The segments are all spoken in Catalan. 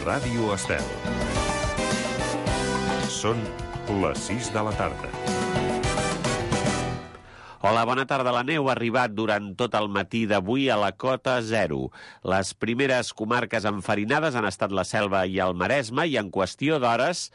Ràdio Estel. Són les 6 de la tarda. Hola, bona tarda. La neu ha arribat durant tot el matí d'avui a la cota 0. Les primeres comarques enfarinades han estat la Selva i el Maresme i en qüestió d'hores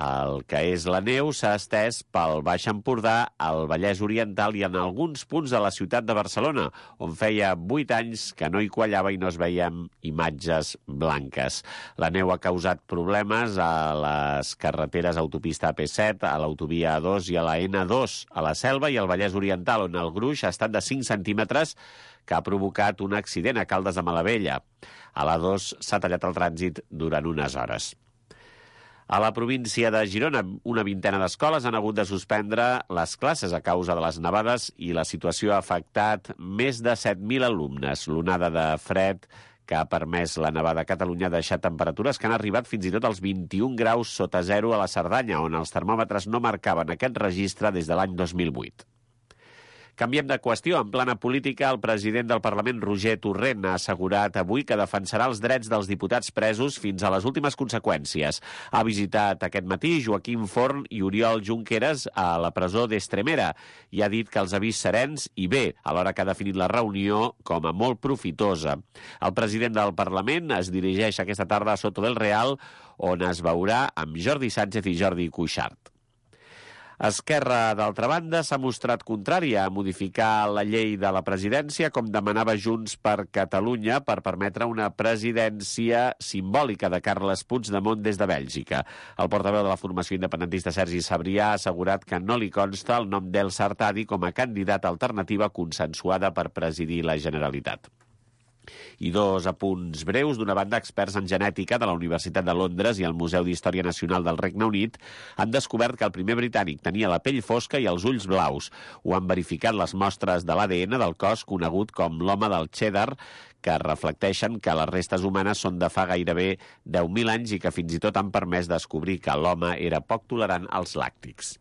el que és la neu s'ha estès pel Baix Empordà, el Vallès Oriental i en alguns punts de la ciutat de Barcelona, on feia 8 anys que no hi quallava i no es veien imatges blanques. La neu ha causat problemes a les carreteres autopista AP7, a l'autovia A2 i a la N2, a la Selva i al Vallès Oriental, on el gruix ha estat de 5 centímetres que ha provocat un accident a Caldes de Malavella. A l'A2 s'ha tallat el trànsit durant unes hores. A la província de Girona, una vintena d'escoles han hagut de suspendre les classes a causa de les nevades i la situació ha afectat més de 7.000 alumnes. L'onada de fred que ha permès la nevada a Catalunya ha deixat temperatures que han arribat fins i tot als 21 graus sota zero a la Cerdanya, on els termòmetres no marcaven aquest registre des de l'any 2008. Canviem de qüestió. En plana política, el president del Parlament, Roger Torrent, ha assegurat avui que defensarà els drets dels diputats presos fins a les últimes conseqüències. Ha visitat aquest matí Joaquim Forn i Oriol Junqueras a la presó d'Estremera i ha dit que els ha vist serens i bé, alhora que ha definit la reunió com a molt profitosa. El president del Parlament es dirigeix aquesta tarda a Soto del Real, on es veurà amb Jordi Sánchez i Jordi Cuixart. Esquerra, d'altra banda, s'ha mostrat contrària a modificar la llei de la presidència, com demanava Junts per Catalunya, per permetre una presidència simbòlica de Carles Puigdemont des de Bèlgica. El portaveu de la formació independentista Sergi Sabrià ha assegurat que no li consta el nom d'Elsa Artadi com a candidat alternativa consensuada per presidir la Generalitat. I dos apunts breus. D'una banda, experts en genètica de la Universitat de Londres i el Museu d'Història Nacional del Regne Unit han descobert que el primer britànic tenia la pell fosca i els ulls blaus. Ho han verificat les mostres de l'ADN del cos conegut com l'home del Cheddar, que reflecteixen que les restes humanes són de fa gairebé 10.000 anys i que fins i tot han permès descobrir que l'home era poc tolerant als làctics.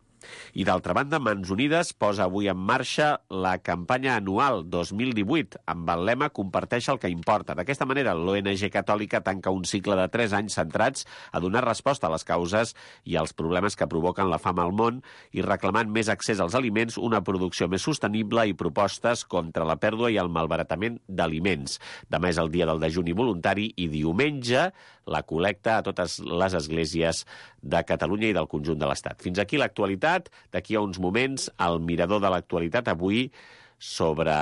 I d'altra banda, Mans Unides posa avui en marxa la campanya anual 2018 amb el lema Comparteix el que importa. D'aquesta manera, l'ONG Catòlica tanca un cicle de 3 anys centrats a donar resposta a les causes i als problemes que provoquen la fam al món i reclamant més accés als aliments, una producció més sostenible i propostes contra la pèrdua i el malbaratament d'aliments. Demà és el dia del dejuni voluntari i diumenge la col·lecta a totes les esglésies de Catalunya i del conjunt de l'Estat. Fins aquí l'actualitat. D'aquí a uns moments, el mirador de l'actualitat avui sobre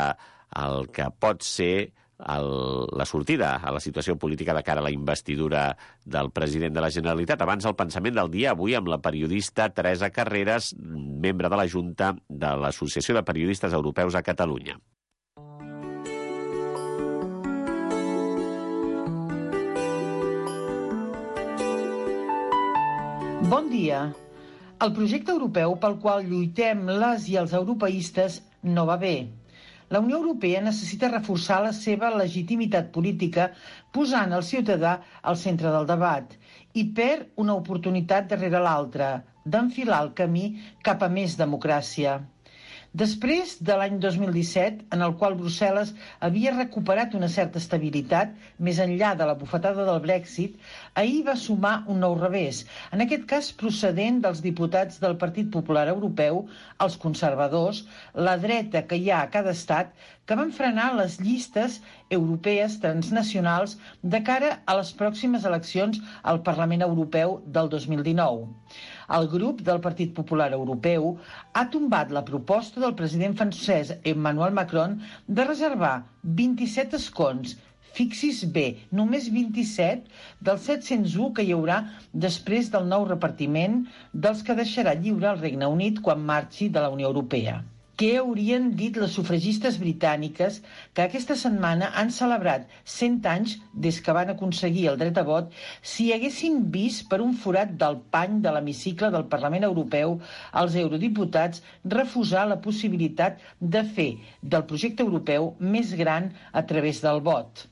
el que pot ser la sortida a la situació política de cara a la investidura del president de la Generalitat. Abans, el pensament del dia, avui amb la periodista Teresa Carreras, membre de la Junta de l'Associació de Periodistes Europeus a Catalunya. Bon dia. El projecte europeu pel qual lluitem les i els europeistes no va bé. La Unió Europea necessita reforçar la seva legitimitat política posant el ciutadà al centre del debat i perd una oportunitat darrere l'altra d'enfilar el camí cap a més democràcia. Després de l'any 2017, en el qual Brussel·les havia recuperat una certa estabilitat, més enllà de la bufetada del Brexit, ahir va sumar un nou revés, en aquest cas procedent dels diputats del Partit Popular Europeu, els conservadors, la dreta que hi ha a cada estat, que van frenar les llistes europees transnacionals de cara a les pròximes eleccions al Parlament Europeu del 2019. El grup del Partit Popular Europeu ha tombat la proposta del president francès Emmanuel Macron de reservar 27 escons, fixis bé, només 27 dels 701 que hi haurà després del nou repartiment dels que deixarà lliure el Regne Unit quan marxi de la Unió Europea. Què haurien dit les sufragistes britàniques que aquesta setmana han celebrat 100 anys des que van aconseguir el dret a vot si haguessin vist per un forat del pany de l'hemicicle del Parlament Europeu els eurodiputats refusar la possibilitat de fer del projecte europeu més gran a través del vot?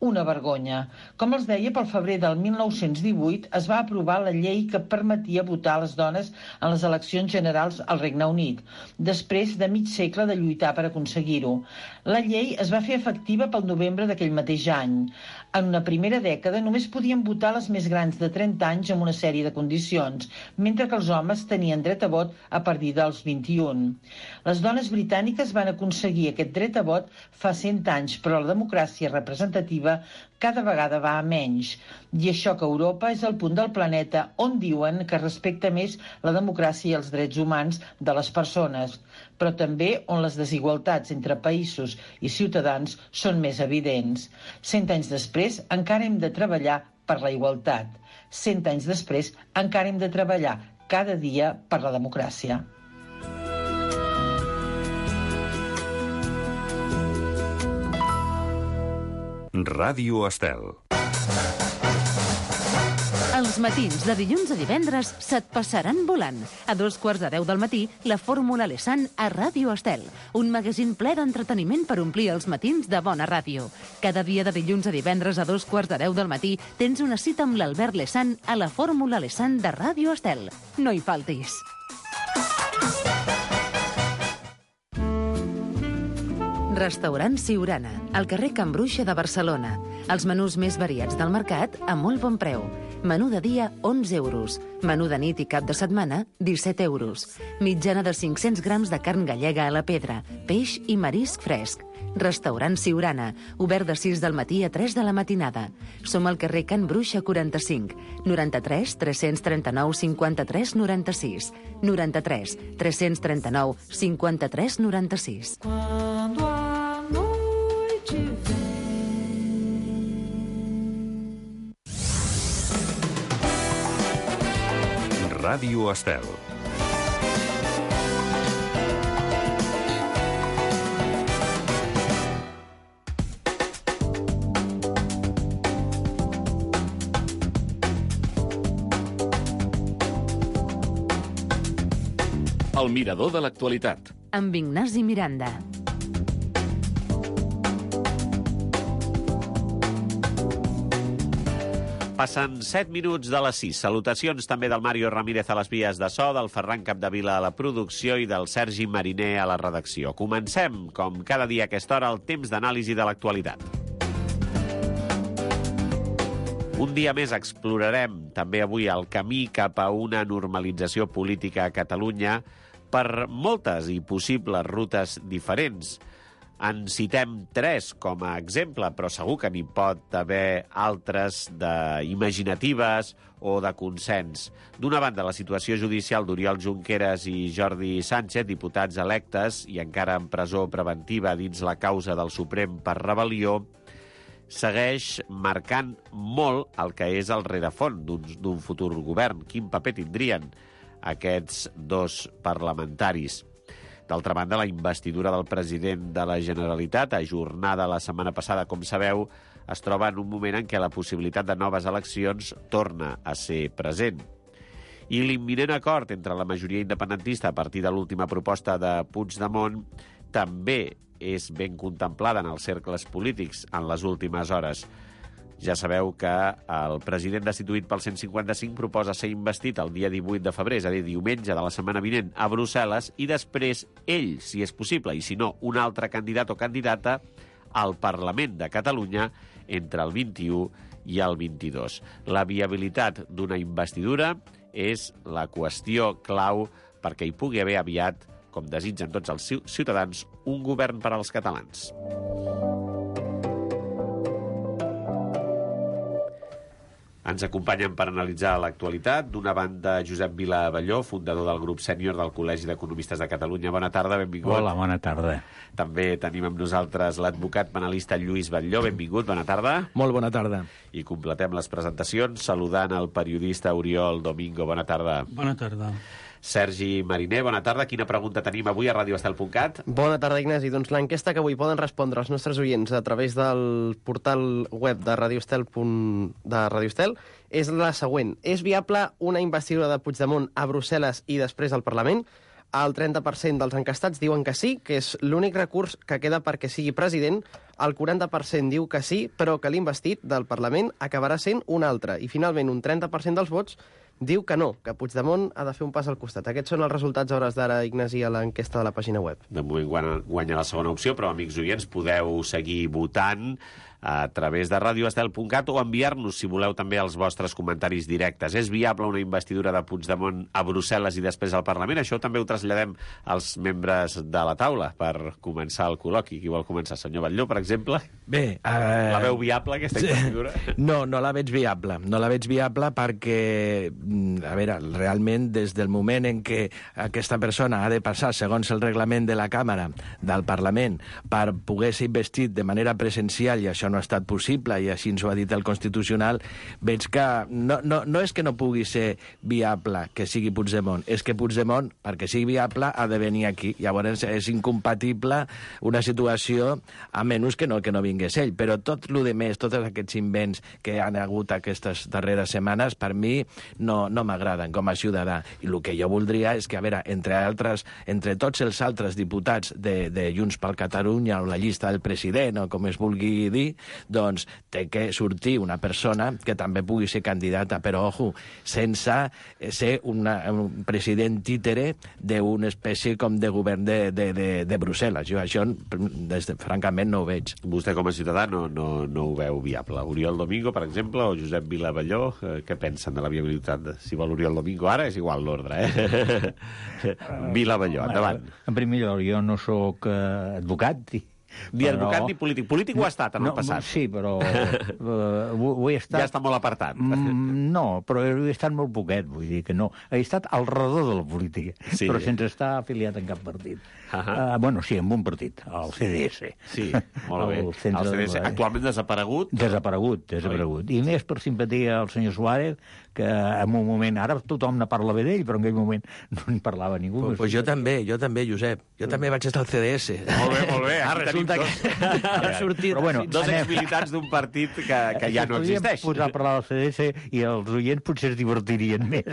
Una vergonya. Com els deia, pel febrer del 1918 es va aprovar la llei que permetia votar a les dones en les eleccions generals al Regne Unit, després de mig segle de lluitar per aconseguir-ho. La llei es va fer efectiva pel novembre d'aquell mateix any. En una primera dècada només podien votar les més grans de 30 anys amb una sèrie de condicions, mentre que els homes tenien dret a vot a partir dels 21. Les dones britàniques van aconseguir aquest dret a vot fa 100 anys, però la democràcia representativa cada vegada va a menys. I això que Europa és el punt del planeta on diuen que respecta més la democràcia i els drets humans de les persones, però també on les desigualtats entre països i ciutadans són més evidents. 100 anys després encara hem de treballar per la igualtat. 100 anys després encara hem de treballar cada dia per la democràcia. Ràdio Estel. Els matins de dilluns a divendres se't passaran volant. A 2:15 del matí, la Fórmula Lesan a Ràdio Estel. Un magazín ple d'entreteniment per omplir els matins de bona ràdio. Cada dia de dilluns a divendres a 2:15 del matí tens una cita amb l'Albert Lesan a la Fórmula Lesan de Ràdio Estel. No hi faltis. Restaurant Siurana, al carrer Can Bruixa de Barcelona. Els menús més variats del mercat a molt bon preu. Menú de dia, 11 euros. Menú de nit i cap de setmana, 17 euros. Mitjana de 500 grams de carn gallega a la pedra, peix i marisc fresc. Restaurant Siurana, obert de 6 del matí a 3 de la matinada. Som al carrer Can Bruixa 45, 93 339 53 96, 93 339 53 96. Ràdio Estel. El mirador de l'actualitat. Amb Ignasi Miranda. Passen 7 minuts de les 6. Salutacions també del Mario Ramírez a les vies de so, del Ferran Capdevila a la producció i del Sergi Mariner a la redacció. Comencem, com cada dia a aquesta hora, el temps d'anàlisi de l'actualitat. Un dia més explorarem també avui el camí cap a una normalització política a Catalunya per moltes i possibles rutes diferents. En citem 3 com a exemple, però segur que n'hi pot haver altres d'imaginatives o de consens. D'una banda, la situació judicial d'Oriol Junqueras i Jordi Sánchez, diputats electes i encara en presó preventiva dins la causa del Suprem per rebel·lió, segueix marcant molt el que és el rerefons d'un futur govern. Quin paper tindrien aquests dos parlamentaris? D'altra banda, la investidura del president de la Generalitat, ajornada la setmana passada, com sabeu, es troba en un moment en què la possibilitat de noves eleccions torna a ser present. I l'imminent acord entre la majoria independentista a partir de l'última proposta de Puigdemont també és ben contemplada en els cercles polítics en les últimes hores. Ja sabeu que el president destituït pel 155 proposa ser investit el dia 18 de febrer, és a dir, diumenge de la setmana vinent, a Brussel·les, i després ell, si és possible, i si no, un altre candidat o candidata al Parlament de Catalunya entre el 21 i el 22. La viabilitat d'una investidura és la qüestió clau perquè hi pugui haver aviat, com desitgen tots els ciutadans, un govern per als catalans. Ens acompanyen per analitzar l'actualitat. D'una banda, Josep Vila Abelló, fundador del grup sènior del Col·legi d'Economistes de Catalunya. Bona tarda, benvingut. Hola, bona tarda. També tenim amb nosaltres l'advocat penalista Lluís Batlló. Benvingut, bona tarda. Molt bona tarda. I completem les presentacions saludant el periodista Oriol Domingo. Bona tarda. Bona tarda. Sergi Mariner, bona tarda. Quina pregunta tenim avui a radioestel.cat? Bona tarda, Ignasi. Doncs l'enquesta que avui poden respondre els nostres oients a través del portal web de Radio Estel és la següent. És viable una investidura de Puigdemont a Brussel·les i després al Parlament? el 30% dels encastats diuen que sí, que és l'únic recurs que queda perquè sigui president. El 40% diu que sí, però que l'investit del Parlament acabarà sent un altre. I, finalment, un 30% dels vots diu que no, que Puigdemont ha de fer un pas al costat. Aquests són els resultats a hores d'ara, Ignasi, a l'enquesta de la pàgina web. De moment guanya la segona opció, però, amics oients, podeu seguir votant a través de radioestel.cat o enviar-nos, si voleu, també els vostres comentaris directes. És viable una investidura de Puigdemont a Brussel·les i després al Parlament? Això també ho traslladem als membres de la taula per començar el col·loqui. Qui vol començar? Senyor Batlló, per exemple? Bé... La veu viable, aquesta investidura? No, no la veig viable. No la veig viable perquè, a veure, realment, des del moment en què aquesta persona ha de passar, segons el reglament de la Càmera, del Parlament, per poder ser investit de manera presencial, i això no ha estat possible, i així ens ho ha dit el Constitucional, veig que no és que no pugui ser viable que sigui Puigdemont, és que Puigdemont, perquè sigui viable, ha de venir aquí. Llavors és incompatible una situació, a menys que no vingués ell. Però tot el de més, tots aquests invents que han hagut aquestes darreres setmanes, per mi no m'agraden com a ciutadà. I el que jo voldria és que, a veure, entre tots els altres diputats de Junts per Catalunya o la llista del president, o com es vulgui dir, doncs té que sortir una persona que també pugui ser candidata, però, ojo, sense ser un president títere d'una espècie com de govern de Brussel·les. Jo això, francament, no ho veig. Vostè, com a ciutadà, no ho veu viable. Oriol Domingo, per exemple, o Josep Vilavelló, què pensen de la viabilitat? Si vol Oriol Domingo ara, és igual l'ordre, Vilavelló, endavant. En primer lloc, jo no sóc advocat, Ni advocat ni polític. Polític ho ha estat en el passat. Sí, però ho he estat... Ja està molt apartat. No, però he estat molt poquet, vull dir que no. He estat al redor de la política, però sense estar afiliat en cap partit. Bueno, sí, en un partit, el CDS. Sí, molt bé. El CDS, actualment desaparegut. Desaparegut. I més per simpatia al senyor Suárez, que en un moment... Ara tothom ne parla bé d'ell, però en aquell moment no en parlava ningú. Pues jo també, Josep. Jo també vaig estar al CDS. Molt bé. Ara resulta que... Ara sortit... Però bueno, dos exmilitants d'un partit que ja no existeix. Podríem posar a parlar del CDS i els oients potser es divertirien més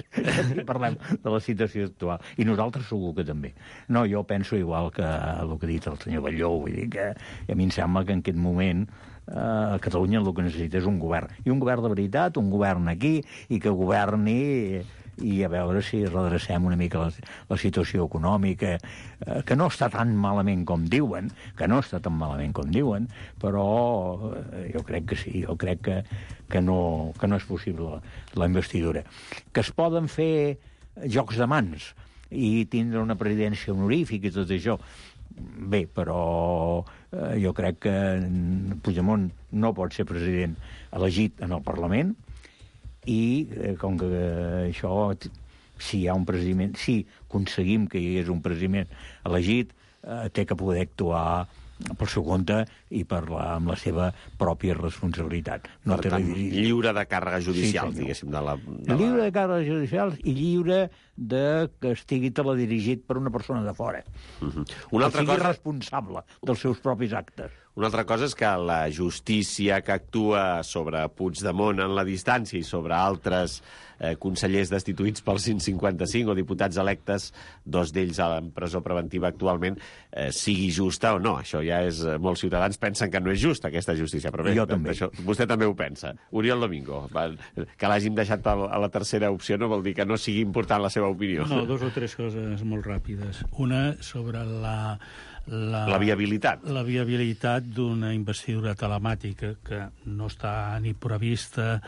si parlem de la situació actual. I nosaltres segur que també. No, jo penso igual que el que ha dit el senyor Batlló, vull dir que a mi em sembla que en aquest moment a Catalunya el que necessita és un govern. I un govern de veritat, un govern aquí, i que governi i a veure si redrecem una mica la situació econòmica, que no està tan malament com diuen, però jo crec que sí, jo crec que no és possible la investidura. Que es poden fer jocs de mans i tindre una presidència honorífica i tot això, bé, però jo crec que Puigdemont no pot ser president elegit en el Parlament i com que això, si hi ha un president, si aconseguim que hi hagués un president elegit, té que poder actuar per seu compte i amb la seva pròpia responsabilitat. No per tant, lliure de càrregues judicials, diguéssim. Lliure de càrregues judicials i lliure de que estigui teledirigit per una persona de fora. Que sigui responsable dels seus propis actes. Una altra cosa és que la justícia que actua sobre Puigdemont en la distància i sobre altres consellers destituïts pel 155 o diputats electes, dos d'ells en presó preventiva actualment, sigui justa o no. Això ja és... Molts ciutadans pensen que no és justa, aquesta justícia. Però bé, jo també. Vostè també ho pensa. Oriol Domingo, que l'hàgim deixat a la tercera opció no vol dir que no sigui important la seva opinió. No, dos o tres coses molt ràpides. Una sobre la viabilitat. La viabilitat d'una investidura telemàtica que no està ni prevista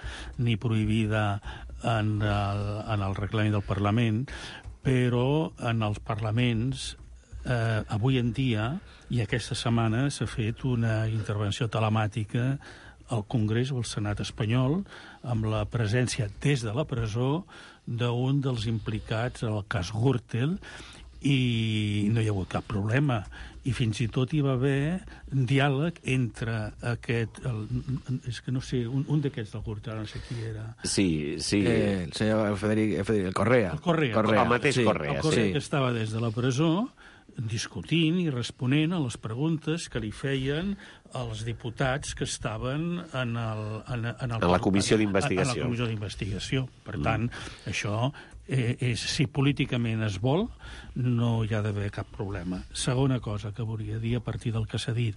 ni prohibida en el reglament del Parlament, però en els parlaments avui en dia i aquesta setmana s'ha fet una intervenció telemàtica al Congrés o al Senat espanyol amb la presència des de la presó d'un dels implicats en el cas Gürtel i no hi ha hagut cap problema. I fins i tot hi va haver diàleg entre aquest... és que no sé, un d'aquests del Gürtel, no sé qui era. Sí. El senyor Federic, el Correa. El Correa. El mateix Correa, el Correa que estava des de la presó discutint i responent a les preguntes que li feien els diputats que estaven en la comissió d'investigació. En la comissió d'investigació. Per tant, això, si políticament es vol, no hi ha d'haver cap problema. Segona cosa que volia dir a partir del que s'ha dit,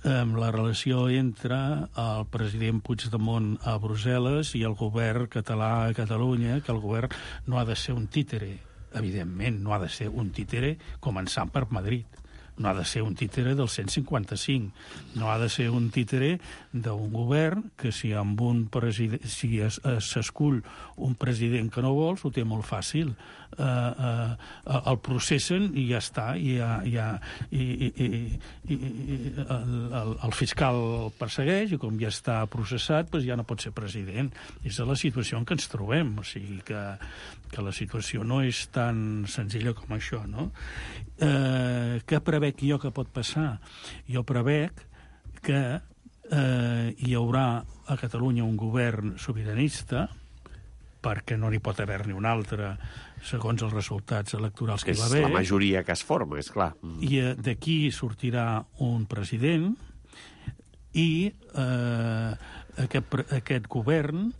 la relació entre el president Puigdemont a Brussel·les i el govern català a Catalunya, que el govern no ha de ser un títere. Evidentment, no ha de ser un títere començant per Madrid. No ha de ser un títere del 155. No ha de ser un títere d'un govern que si s'escull un president que no vols, ho té molt fàcil. El processen i ja està. El fiscal el persegueix i com ja està processat, doncs ja no pot ser president. És la situació en què ens trobem. O sigui que la situació no és tan senzilla com això, no? Què prevec jo que pot passar? Jo prevec que hi haurà a Catalunya un govern sobiranista, perquè no n'hi pot haver ni un altre segons els resultats electorals que hi va haver. És la majoria que es forma, és clar. I d'aquí sortirà un president i aquest govern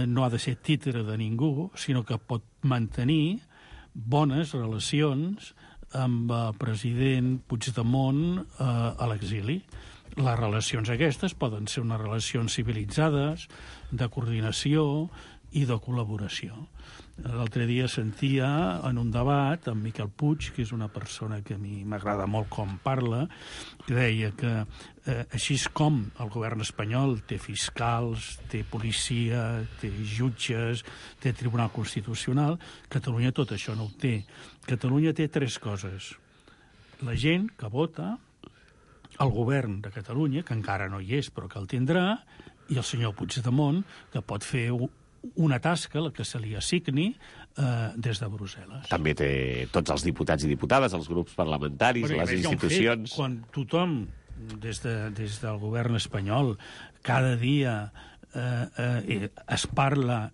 no ha de ser títere de ningú, sinó que pot mantenir bones relacions amb el president Puigdemont a l'exili. Les relacions aquestes poden ser unes relacions civilitzades, de coordinació i de col·laboració. L'altre dia sentia en un debat amb Miquel Puig, que és una persona que a mi m'agrada molt com parla, que deia que així com el govern espanyol té fiscals, té policia, té jutges, té Tribunal Constitucional, Catalunya tot això no ho té. Catalunya té 3 coses. La gent que vota, el govern de Catalunya, que encara no hi és però que el tindrà, i el senyor Puigdemont, que pot fer una tasca, la que se li assigni, des de Brussel·les. També té tots els diputats i diputades, els grups parlamentaris, les institucions... Quan tothom, des del govern espanyol, cada dia es parla...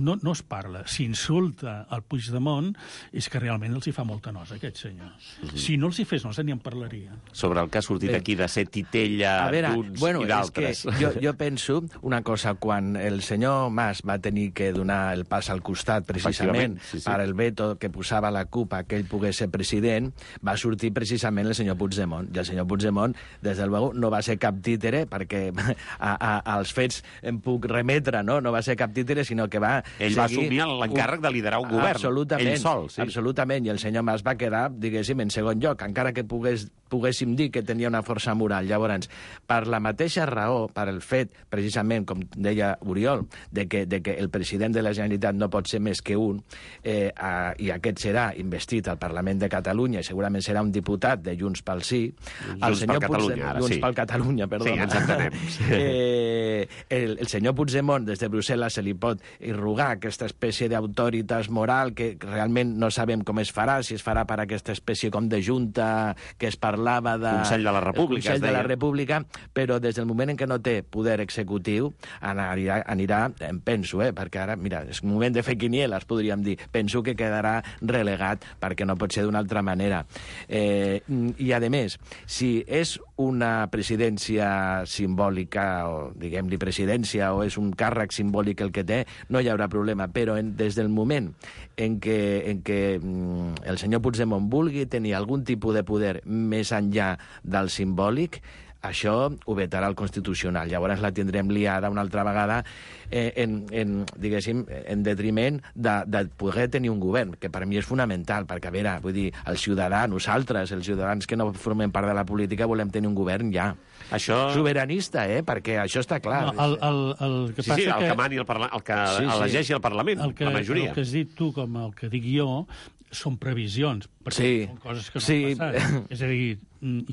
No es parla, s'insulta al Puigdemont, és que realment els hi fa molta nosa, aquest senyor. Si no els hi fes nosa, ni en parlaria. Sobre el que ha sortit aquí de ser titella d'uns i d'altres. Jo penso una cosa, quan el senyor Mas va tenir que donar el pas al costat, precisament, per el veto que posava la CUP a que ell pogués ser president, va sortir precisament el senyor Puigdemont. I el senyor Puigdemont, des de luego, no va ser cap títere, perquè als fets em puc remetre, no? No va ser cap títere, sinó que va ell va assumir l'encàrrec de liderar un govern. Absolutament, ell sol, sí. Absolutament, i el senyor Mas va quedar, diguéssim, en segon lloc, encara que poguéssim dir que tenia una força moral. Llavors, per la mateixa raó, per el fet, precisament, com deia Oriol, de que el president de la Generalitat no pot ser més que un, i aquest serà investit al Parlament de Catalunya, i segurament serà un diputat de Junts pel Sí. Junts per Catalunya, ara sí. Junts per Catalunya, perdó. Sí, ens entenem. El senyor Puigdemont, des de Brussel·les, se li pot irrogar aquesta espècie d'autoritat moral que realment no sabem com es farà, si es farà per aquesta espècie com de junta que es parlava de... Consell de la República, Consell de la República, però des del moment en què no té poder executiu, anirà, em penso, perquè ara, mira, és un moment de fer quinieles, podríem dir, penso que quedarà relegat perquè no pot ser d'una altra manera. I, a més, si és una presidència simbòlica, o diguem-li presidència, o és un càrrec simbòlic el que té, no hi haurà problema, però des del moment en què el senyor Puigdemont vulgui tenir algun tipus de poder més enllà del simbòlic, això ho vetarà el Constitucional. Llavors la tindrem liada una altra vegada en detriment de poder tenir un govern, que per mi és fonamental, perquè, a veure, vull dir, els ciutadans, nosaltres, els ciutadans que no formem part de la política, volem tenir un govern ja. Això... Sobiranista, perquè això està clar. El que passa el que mani el que elegeixi el Parlament, la majoria. El que has dit tu, com el que dic jo, són previsions, perquè són coses que no han passat. És a dir,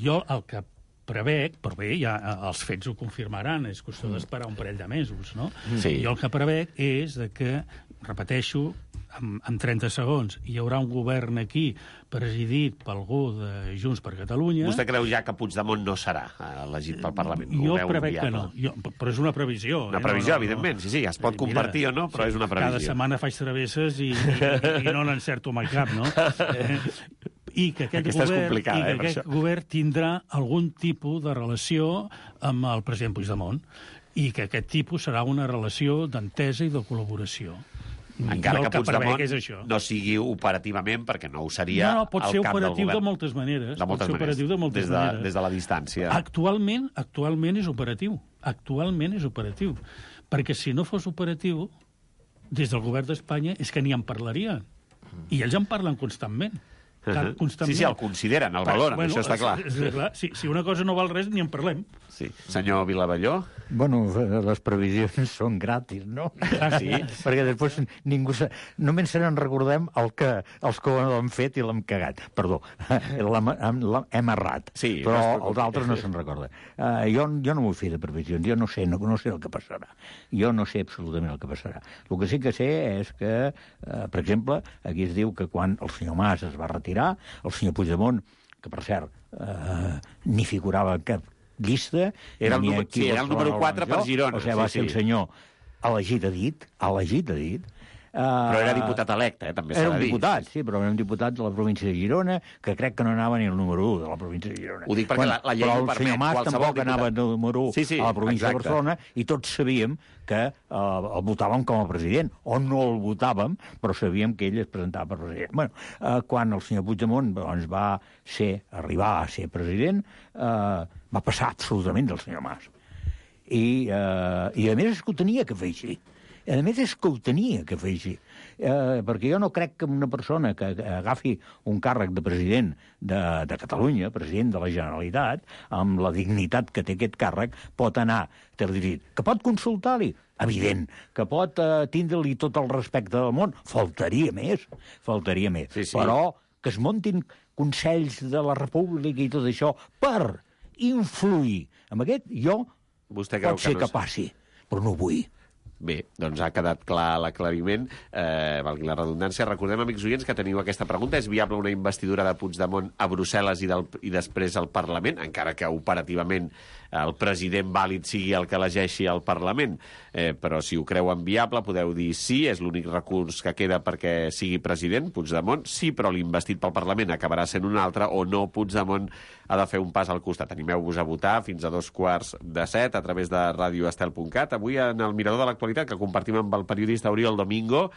jo el que prevec, però bé, ja els fets ho confirmaran, és qüestió d'esperar un parell de mesos, no? Sí. Jo el que prevec és que, repeteixo, en 30 segons, hi haurà un govern aquí presidit per algú de Junts per Catalunya... Vostè creu ja que Puigdemont no serà elegit pel Parlament? Jo prevec que no, però és una previsió. Una previsió, evidentment, sí, es pot compartir o no, però és una previsió. Cada setmana faig travesses i no n'encerto mai cap, no? i que aquest govern tindrà algun tipus de relació amb el president Puigdemont i que aquest tipus serà una relació d'entesa i de col·laboració. Encara que Puigdemont no sigui operativament, perquè no ho seria no, pot ser al cap del operatiu govern. De moltes maneres. Pot ser operatiu de moltes maneres. Des de la distància. Actualment és operatiu. Actualment és operatiu. Perquè si no fos operatiu, des del govern d'Espanya és que ni en parlarien. I ells en parlen constantment. Sí, el consideren, el valoren, això està clar. Clar. Si una cosa no val res, ni en parlem. Sí. Senyor Vilavelló? Bueno, les previsions són gratis, no? Ah, sí? Perquè després ningú... Només se n'en recordem els que ho han fet i l'hem cagat. Perdó, hem errat. Sí, però els altres no se'n recorden. Jo no m'ho fer de previsions, jo no sé el que passarà. Jo no sé absolutament el que passarà. El que sí que sé és que, per exemple, aquí es diu que quan el senyor Mas es va retirar, el senyor Puigdemont, que per cert ni figurava en cap llista... Era el número 4 per Girona. O sigui, va ser el senyor elegit a dit, però era diputat electe, també s'ha de dir. Era un diputat, sí, però era un diputat de la província de Girona, que crec que no anava ni el número 1 de la província de Girona. Ho dic perquè la llei ho permet. Però el senyor Mas tampoc anava el número 1 a la província de Barcelona, i tots sabíem que el votàvem com a president, o no el votàvem, però sabíem que ell es presentava per president. Bueno, quan el senyor Puigdemont va arribar a ser president, va passar absolutament del senyor Mas. I a més és que ho tenia que fer així. Perquè jo no crec que una persona que agafi un càrrec de president de Catalunya, president de la Generalitat, amb la dignitat que té aquest càrrec, pot anar dirigit. Que pot consultar-li? Evident. Que pot tindre-li tot el respecte del món? Faltaria més. Sí. Però que es muntin consells de la República i tot això per influir en aquest, pot ser que passi, però no ho vull. Bé, doncs ha quedat clar l'aclariment, valgui la redundància. Recordem, amics oients, que teniu aquesta pregunta. És viable una investidura de Puigdemont a Brussel·les i després al Parlament, encara que operativament el president vàlid sigui el que elegeixi al Parlament? Però si ho creuen viable, podeu dir sí, és l'únic recurs que queda perquè sigui president, Puigdemont, sí, però l'investit pel Parlament acabarà sent un altre, o no, Puigdemont ha de fer un pas al costat. Animeu-vos a votar fins a 6:45 a través de radioestel.cat. Avui en el Mirador de l'Actualitat, que compartim amb el periodista Oriol Domingo,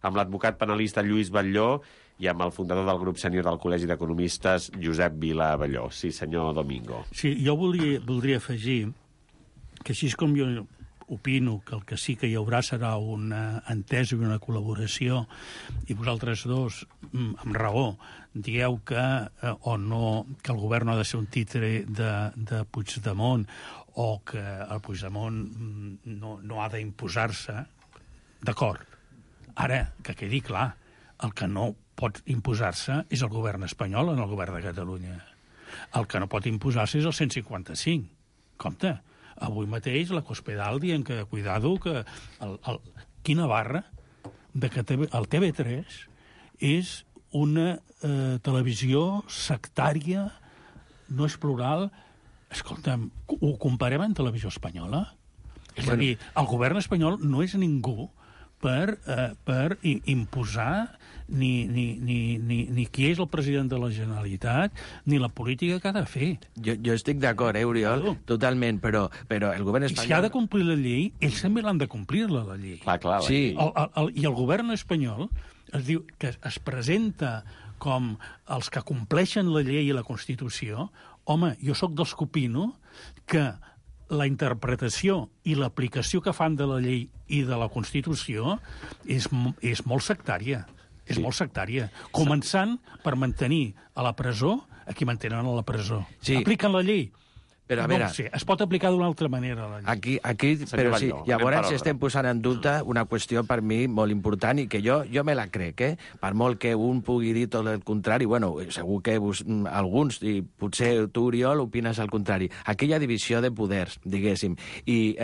amb l'advocat penalista Lluís Batlló i amb el fundador del grup sènior del Col·legi d'Economistes, Josep Vila Batlló. Sí, senyor Domingo. Sí, jo voldria afegir que així com jo opino que el que sí que hi haurà serà una entesa i una col·laboració, i vosaltres dos, amb raó, dieu que el govern no ha de ser un títere de Puigdemont, o que el Puigdemont no ha d'imposar-se, d'acord. Ara, que quedi clar, el que no pot imposar-se és el govern espanyol en el govern de Catalunya. El que no pot imposar-se és el 155. Compte, avui mateix la Cospedal dient que, cuidado, que quina barra de que el TV3 és una televisió sectària, no és plural. Escolta'm, ho comparem amb televisió espanyola? És a dir, el govern espanyol no és ningú per imposar ni qui és el president de la Generalitat, ni la política que ha de fer. Jo estic d'acord, Oriol, totalment, però el govern espanyol... I si ha de complir la llei, ells també l'han de complir-la, la llei. Clar, sí. I el govern espanyol es diu que es presenta com els que compleixen la llei i la Constitució. Home, jo sóc dels que opino que la interpretació i l'aplicació que fan de la llei i de la Constitució és molt sectària. És molt sectària. Començant per mantenir a la presó a qui mantenen a la presó. Sí. Apliquen la llei. Però, a veure, es pot aplicar d'una altra manera, la llei. Aquí però sí, llavors estem posant en dubte una qüestió per mi molt important i que jo me la crec, Per molt que un pugui dir tot el contrari, bueno, segur que alguns, i potser tu, Oriol, opines el contrari. Aquí hi ha divisió de poders, diguéssim, i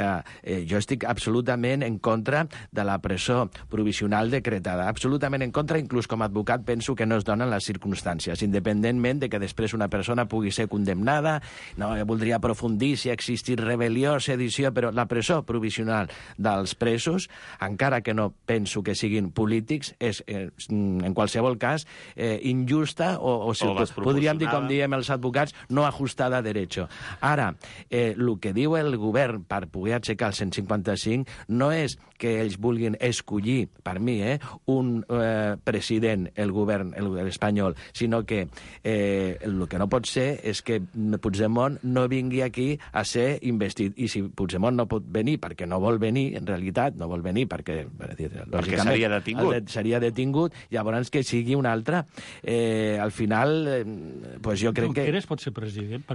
jo estic absolutament en contra de la presó provisional decretada, absolutament en contra, inclús com a advocat penso que no es donen les circumstàncies, independentment de que després una persona pugui ser condemnada. No, voldria podria aprofundir si ha existit rebel·lió, sedició, però la presó provisional dels presos, encara que no penso que siguin polítics, és, en qualsevol cas, injusta o podríem dir, com diem els advocats, no ajustada a derecho. Ara, el que diu el govern per poder aixecar el 155 no és que ells vulguin escollir, per mi, un president, el govern espanyol, sinó que el que no pot ser és que Puigdemont no vingui aquí a ser investit. I si Puigdemont no pot venir perquè no vol venir, en realitat no vol venir perquè seria detingut. Seria detingut, llavors que sigui un altre. Al final, pues jo crec que... Junqueras pot ser president?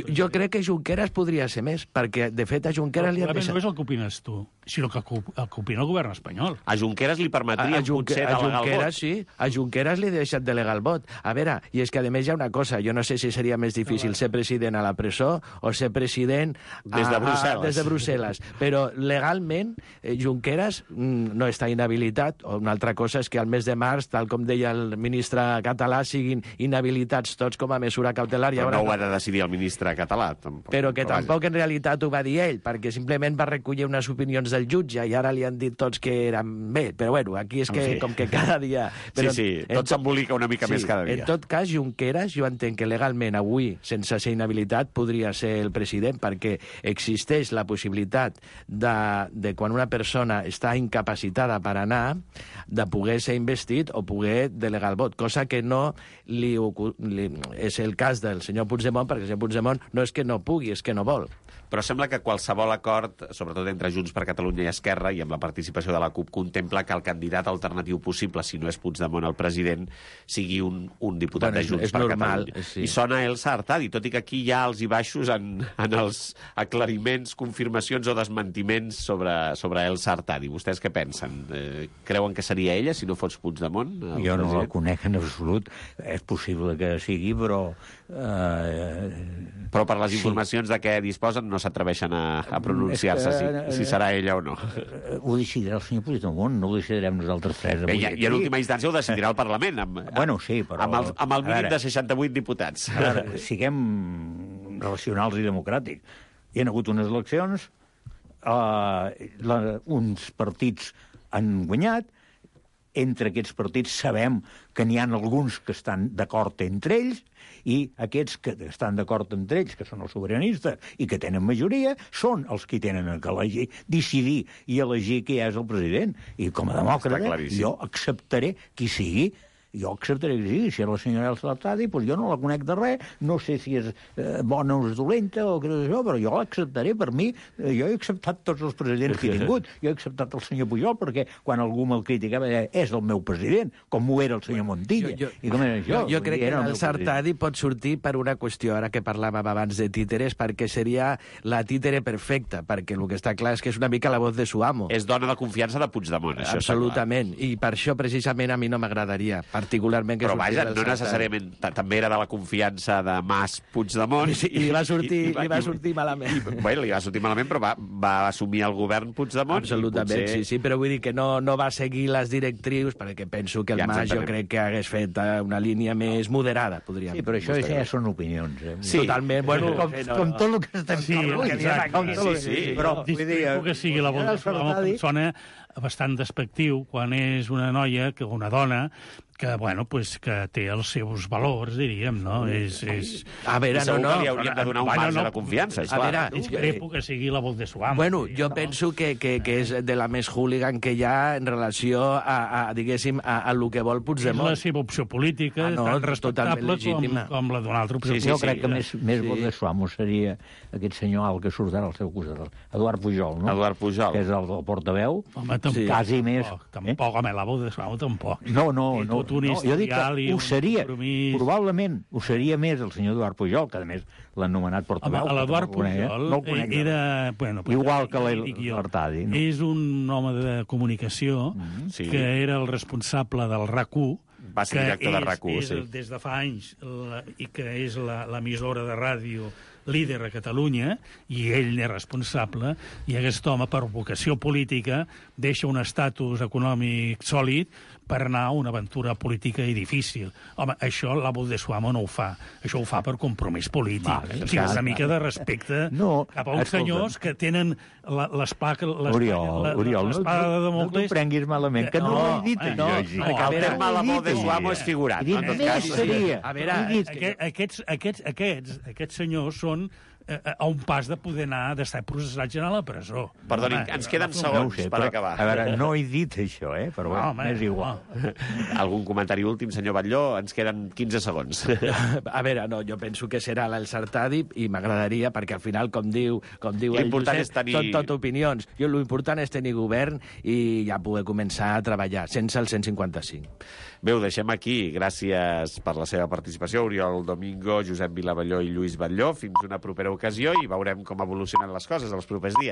Jo crec que Junqueras podria ser més, perquè de fet a Junqueras li han deixat... No és el que opines tu, sinó que el que opina el govern espanyol. A Junqueras li permetria potser delegar el vot. Sí, a Junqueras li ha deixat delegar el vot. A veure, i és que a més hi ha una cosa, jo no sé si seria més difícil ser president a la presó o ser president des de Brussel·les. Però legalment Junqueras no està inhabilitat, o una altra cosa és que al mes de març, tal com deia el ministre català, siguin inhabilitats tots com a mesura cautelar. Però no ho ha de decidir el ministre català. Però que tampoc en realitat ho va dir ell, perquè simplement va recollir unes opinions del jutge i ara li han dit tots que eren bé. Però bueno, aquí és que com que cada dia... Sí, tot s'embolica una mica més cada dia. En tot cas, Junqueras, jo entenc que legalment avui, sense ser inhabilitat, podria ser el president, perquè existeix la possibilitat de quan una persona està incapacitada per anar, de poder ser investit o poder delegar el vot, cosa que no és el cas del senyor Puigdemont, perquè el senyor Puigdemont no és que no pugui, és que no vol. Però sembla que qualsevol acord, sobretot entre Junts per Catalunya i Esquerra, i amb la participació de la CUP, contempla que el candidat alternatiu possible, si no és Puigdemont el president, sigui un diputat de Junts per Catalunya. Sí. I sona Elsa Artadi, tot i que aquí hi ha alts i baixos en els aclariments, confirmacions o desmentiments sobre Elsa Artadi. Vostès què pensen? Creuen que seria ella, si no fos Puigdemont? Jo no la conec en absolut. És possible que sigui, però... Però per les informacions de què disposen no s'atreveixen a pronunciar-se si serà ella o no. Ho decidirà el senyor Puigdemont, no ho decidirem nosaltres tres. I en última instància ho decidirà el Parlament, sí, però... amb el mínim de 68 diputats. A veure, siguem racionals i democràtics. Hi ha hagut unes eleccions, uns partits han guanyat, entre aquests partits sabem que n'hi ha alguns que estan d'acord entre ells, i aquests que estan d'acord entre ells, que són els sobiranistes i que tenen majoria, són els que tenen que elegir, decidir i elegir qui és el president. I com a demòcrata jo acceptaré qui sigui. Jo acceptaré que sigui. Si és la senyora Elsa Artadi, doncs jo no la conec de res, no sé si és bona o és dolenta o què és això, però jo l'acceptaré. Per mi, jo he acceptat tots els presidents que he tingut. Jo he acceptat el senyor Pujol perquè quan algú me'l criticava és el meu president, com ho era el senyor Montilla. I com era això? Jo crec que Elsa Artadi pot sortir per una qüestió, ara que parlàvem abans de títeres, perquè seria la títere perfecta, perquè el que està clar és que és una mica la voz de su amo. És dona de confiança de Puigdemont, això. Absolutament, i per això precisament a mi no m'agradaria particularment que però vaja, no necessàriament també era de la confiança de Mas Puigdemont i li va sortir malament li va sortir malament, però va assumir el govern Puigdemont. Absolutament, potser... sí, però vull dir que no va seguir les directrius, perquè penso que el Mas jo crec que hagués fet una línia més moderada, podríem dir. Sí, però això ja són opinions. Sí, totalment, bueno... Com tot el que estem parlant. Sí, però disculpo que sigui la voz de Solà, sona bastant despectiu quan és una noia, una dona, que, bueno, pues, que té els seus valors, diríem, no? A veure, no. Li hauríem de donar un marge de confiança, és clar. A veure, discrepo que sigui la voz de su amo. Bueno, jo penso que és de la més hooligan que hi ha en relació diguéssim, a lo que vol Puigdemont. És la seva opció política, tan respectable com la d'una altra opció. Jo crec que més voz de su amo seria aquest senyor alt que surt ara al seu costat, Eduard Pujol, no? Eduard Pujol. Que és el portaveu. Home, tampoc. Quasi més. Tampoc, home, la voz de su amo tampoc. No, jo dic que ho seria, probablement ho seria més el senyor Eduard Pujol, que a més l'han nomenat portaveu. L'Eduard Pujol era... Igual que l'Artadi. És un home de comunicació que era el responsable del RAC1, va ser director de RAC1, sí. Des de fa anys, i que és l'emissora de ràdio líder a Catalunya, i ell n'és responsable, i aquest home, per vocació política, deixa un estatus econòmic sòlid per anar a una aventura política i difícil. Home, això l'Abu de Suamo no ho fa. Això ho fa per compromís polític. O sigui, una mica de respecte cap a uns senyors que tenen l'espada de Damocles... No t'ho prenguis malament, que no ho he dit. El terme l'Abu de Suamo és figurat. A veure, aquests senyors són a un pas de poder anar, d'estar processats a la presó. Perdoni, ens queden segons per acabar. A veure, no he dit això, però és igual. Algun comentari últim, senyor Batlló? Ens queden 15 segons. A veure, no, jo penso que serà l'Ensartadi i m'agradaria, perquè al final, com diu ell, són tot opinions. L'important és tenir govern i ja poder començar a treballar, sense el 155. Bé, ho deixem aquí. Gràcies per la seva participació, Oriol Domingo, Josep Vilavalló i Lluís Batlló. Fins una propera ocasió i veurem com evolucionen les coses els propers dies.